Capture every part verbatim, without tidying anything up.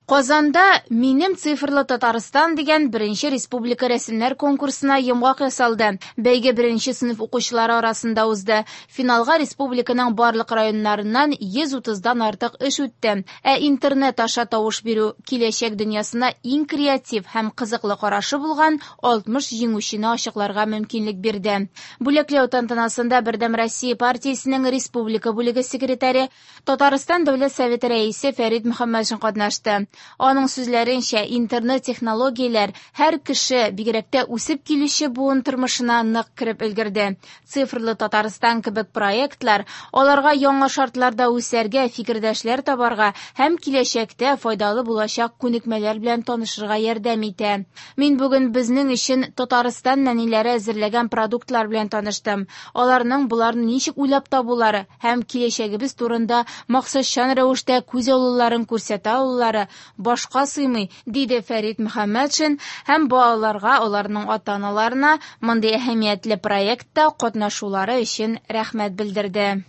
Казанда «Минем цифрлы Татарстан» дигән беренче республика рәсемнәр конкурсына йомгак ясалды. Бәйге беренче сыйныф укучылары арасында узды. Финалга республиканың барлык районнарыннан йөз утыздан артык эш үтте. Ә интернет аша тавыш бирү киләчәк дөньясына иң креатив һәм кызыклы карашы булган алтмыш җиңүчене ачыкларга мөмкинлек бирде. Бүләкләү тантанасында Бердәм Россия партиясенең республика бүлеге секретаре, Татарстан Дәүләт Советы рәисе Фәрит Мөхәммәтшин катнашты. Аның сүзләренчә, интернет-технологияләр һәр кеше, бигрәк тә үсеп килүче буын тормышына нык кереп өлгерде. Цифрлы Татарстан кебек проектлар аларга яңа шартларда үсәргә, фикердәшләр табарга һәм киләчәктә файдалы булачак күнекмәләр белән танышырга ярдәм итә. Мин бүген безнең өчен Татарстан нәниләре әзерләгән продуктлар белән таныштым. Аларның боларны ничек уйлап табулары һәм киләчәгебез турында максатчан рәвештә күз алуларын күрсәтә алулары башка сыймый, диде Фәрит Мөхәммәтшин һәм балаларга, аларның ата-аналарына мондый әһәмиятле проектта катнашулары өчен рәхмәт белдерде.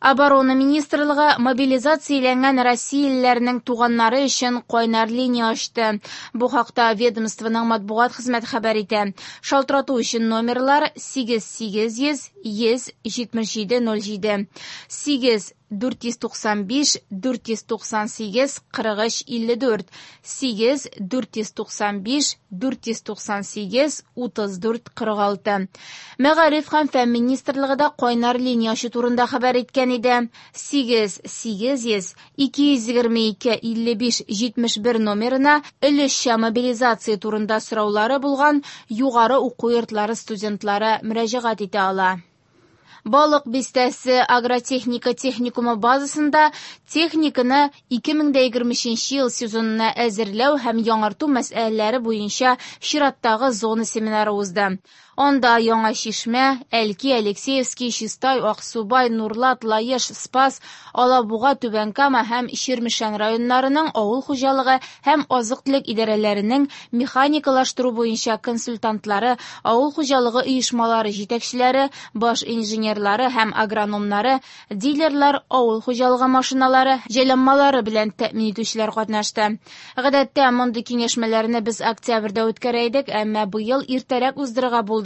Оборона министрлыгы мобилизацияләнгән россиялеләрнең туганнары өчен кайнар линия ачты. Бу хакта ведомствоның матбугат хезмәте хәбәр итә. Шалтырату өчен номерлар сигез сигез йөз йөз җитмеш җиде ноль җиде, сигез дүрт йөз туксан биш дүрт йөз туксан сигез кырык өч илле дүрт, сигез дүрт йөз туксан биш дүрт йөз туксан сигез утыз дүрт кырык алты. Мәгариф һәм фән министрлыгы да кайнар линия ачу турында хәбәр иткән иде. Сигез сигез йөз ике йөз егерме ике илле биш җитмеш бер номерына өлешчә мобилизация турында сораулары булган югары уку йортлары студентлары мөрәҗәгать итә ала. Балык бистәсе агротехника техникумы базасында техниканы ике мең дә егерме өченче ел сезонына әзерләү һәм яңарту мәсьәләләре буенча чираттагы зона семинары узды. Анда Яңа Чишмә, Әлки, Алексеевский, Чистай, Аксубай, Нурлат, Лаеш, Спас, Алабуга, Түбән Кама һәм Чирмешән районнарының авыл хуҗалыгы һәм азык-төлек идарәләренең механикалаштыру буенча консультантлары, авыл хуҗалыгы оешмалары җитәкчеләре, баш инженерлары һәм агрономнары, дилерлар, авыл хуҗалыгы машиналары, җайланмалары белән тәэмин итүчеләр катнашты. Гадәттә мондый киңәшмәләрне без октябрьдә үткәрә идек, әмма быел иртәрәк уздырырга булдык.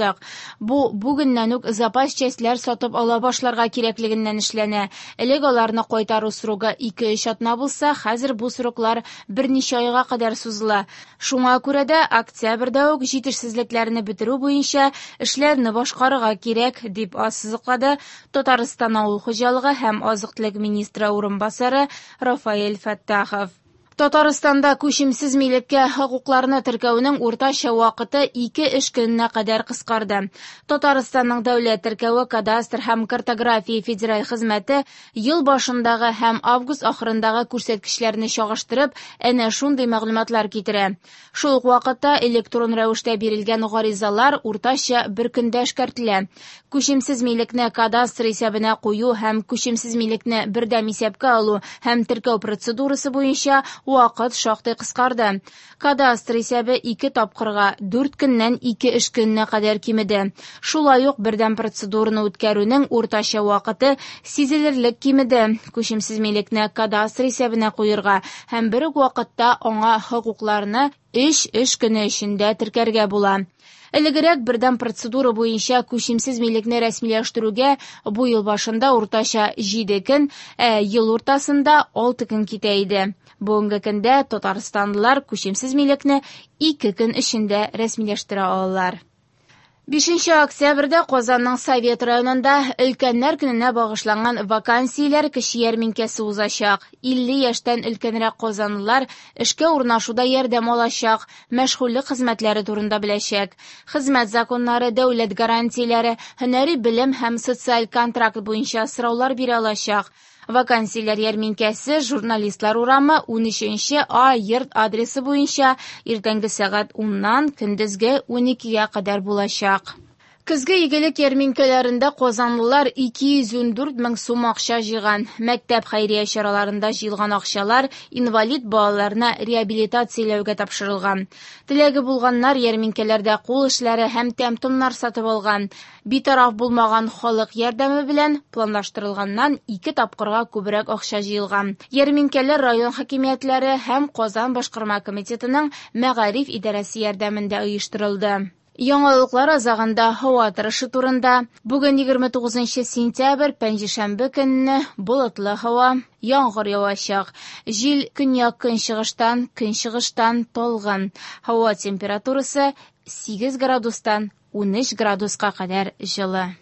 Бу бүгеннән үк запас частьләр сатып ала башларга кирәклегеннән эшләнә. Элек аларны кайтару срогы ике-өч атна булса, хәзер бу сроклар берничә айга кадәр сузыла. Шуңа күрә дә октябрьдә үк җитешсезлекләрне бетерү буенча эшләрне башкарырга кирәк, дип ассызыклады Татарстан авыл хуҗалыгы һәм азык-төлек министры урынбасары Рафаэль Фәттахов. Татарстанда күчемсез милеккә хокукларны теркәүнең уртача вакыты ике эш көненә кадәр кыскарды. Татарстанның дәүләт теркәве, кадастр һәм картография федераль хезмәте ел башындагы һәм август ахырындагы күрсәткечләрне чагыштырып, әнә шундый мәгълүматлар китерә. Шул ук вакытта электрон рәвештә бирелгән гаризалар уртача бер көндә эшкәртелә. Күчемсез милекне кадастр исәбенә кую һәм күчемсез милекне бердәм исәпкә алу һәм теркәү процедурасы буенча вакыт шактый кыскарды. Кадастр исәбе ике тапкырга дүрт көннән ике эш көненә кадәр кимеде. Шулай ук бердәм процедураны үткәрүнең уртача вакыты сизелерлек кимеде. Күчемсез милекне кадастр исәбенә куерга һәм бер үк вакытта аңа хокукларны өч эш көне эчендә теркәргә була. Элегрәк бердәм процедура буенча күчемсез милекне рәсмиләштерүгә бу ел башында уртача җиде көн, ә ел уртасында алты көн китә иде. Бүгенге көндә татарстанлылар күчемсез милекне ике көн эчендә рәсмиләштерә алалар. Бишенче октябрьдә Казанның Совет районында өлкәннәр көненә багышланган вакансияләр кече ярминкәсе узачак. Илле яшьтән өлкәнрәк казанлылар эшкә урнашуда ярдәм алачак, мәшгульлек хезмәтләре турында беләчәк. Хезмәт законнары, дәүләт гарантияләре, һөнәри белем һәм социаль контракт буенча сораулар бирә алачак. Вакансияләр ярминкәсе Журналистлар урамы унөченче А йорт адресы буенча иртәнге сәгать уннан көндезге уникегә кадәр булачак. Көзге игелек ярминкәләрендә казанлылар ике йөз ундүрт мең сум акча җыйган. Мәктәп хәйрия чараларында җыелган акчалар инвалид балаларны реабилитацияләүгә тапшырылган. Теләге булганнар ярминкәләрдә кул эшләре һәм тәм-томнар сатып алган. Битараф булмаган халык ярдәме белән планлаштырылганнан ике тапкырга күбрәк акча җыелган. Ярминкәләр район хакимиятләре һәм Казан башкарма комитетының мәгариф идарәсе ярдәмендә оештырылды. Яңалыклар азагында һава торышы турында. Бүген егерме тугызынчы сентябрь, пәнҗешәмбе көнне болытлы һава, яңгыр явачак. Җил көньяк-көнчыгыштан, көнчыгыштан талгын. Һава температурасы сигез градустан унөч градуска кадәр җылы.